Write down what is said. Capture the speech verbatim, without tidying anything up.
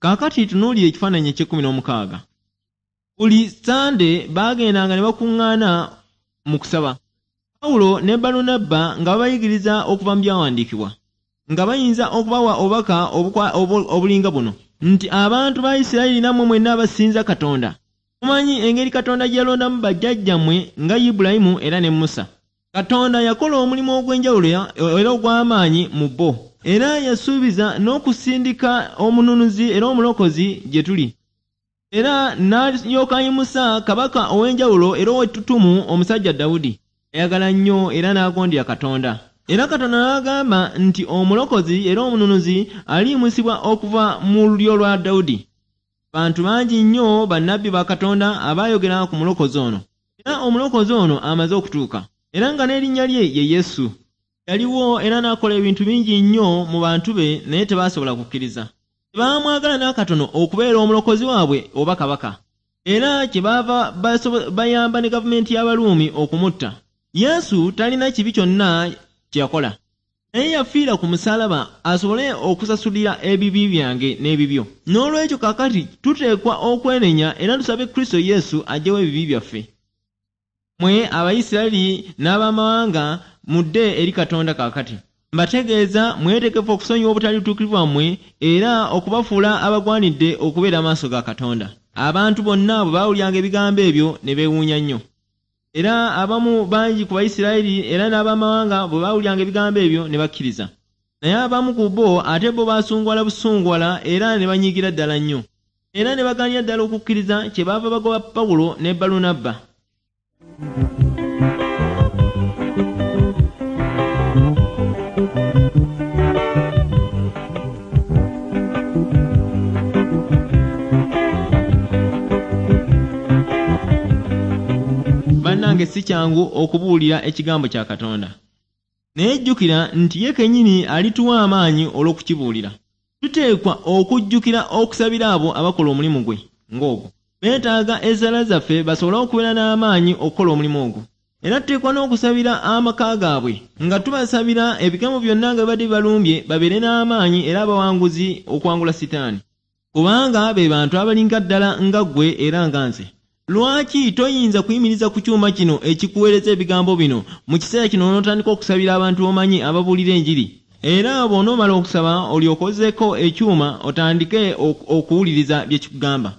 Kaakati tunuulira ekifaananyi eky'ekkumi n'omukaaga. Buli Ssande baagendanga ne bakuŋŋaana mu kusaba. Pawulo ne Balunabba nga babayigiriza okuva mu byawandiikibwa, nga bayinza okubawa obubaka obulinga buno nti abantu ba Isirayiri nammwe mwenna abasinza Katonda, mumanyi engeri Katonda gye yalondamu bajjajjammwe nga Ibulayimu era ne Musa. Katonda yakola omulimu ogw'enjawulo era ogw'amaanyi mu bo, era yasuubiza n'okusindika omununuzi era omulokozi gye tuli. Era n'alyoka ayimusa kabaka ow'enjawulo era ow'ettutumu omusajja Dawudi. Ayagala nnyo era n'agondera Katonda. Era Katonda n'agamba nti omulokozi era omununuzi aliyimusibwa okuva mu lulyo lwa Dawudi. Bantu bangi nnyo bannabbi ba Katonda abaayogera ku mulokozi ono. Era omulokozi ono amaze okutuuka, era nga n'erinnya lye ye Yesu. Yaliwo era n'akola ebintu bingi nnyo mu bantu be, naye tebaasobola kukkiriza. Tebaamwagala n'akatono okubeera omulokozi waabwe oba kabaka. Era kyebaava bayamba ne gavumenti y'Abaruumi okumutta. Yesu talina kibi kyonna kye yakola, naye yafiira ku musaalaba asobole okusasulira ebibi byange n'ebibyo. N'olwekyo kaakati tuteekwa okwenenya era tusabe Kristo Yesu aggyewo ebibi byaffe. Mmwe Abayisirayiri n'abamawanga mudde eri Katonda kaakati. Mbategeeza mwetegefu okusonyiwa obutali butuukirivu bwammwe era okubafuula abagwanidde okubeera amaaso ga Katonda. Abantu bonna bwe baawuliranga ebigambo ebyo ne beewuunya nnyo. Era abamu bangi ku Bayisirayiri era n'abamawanga bwe baawuliranga ebigambo ebyo ne bakkiriza. Naye abamu ku bo ate bo baasungwala busungwala era ne banyiigira ddala nnyo. Era ne bagaanira ddala okukkiriza, kyebaava bagoba Pawulo ne Balunabba. Bannange si kyangu okubuulira ekigambo kya Katonda. Naye jjukira nti ye kennyini alituwa amaanyi olw'okukibuulira. Tuteekwa okujjukira okusabira abo abakola omulimu gwe ng'ogwo. Beetaaga essaala zaffe basobole okubeera n'amaanyi okukola omulimu ogwo. Era tuteekwa n'okusabira amaka gaabwe nga tubasabira ebigambo byonna nga bibadde bibalumbye babeere n'amaanyi era abawanguzi okuwangula Sitaani. Kubanga be bantu abalinga ddala nga ggwe era nga nze. Lwaki toyinza kuyimiriza ku kyuma kino ekikuweereza ebigambo bino mu kiseera kino n'otandika okusabira abantu b'omanyi ababuulira enjiri? Era bw'onoomala okusaba olyoke ozzeeko ekyuma otandike okuwuliriza bye kikugamba.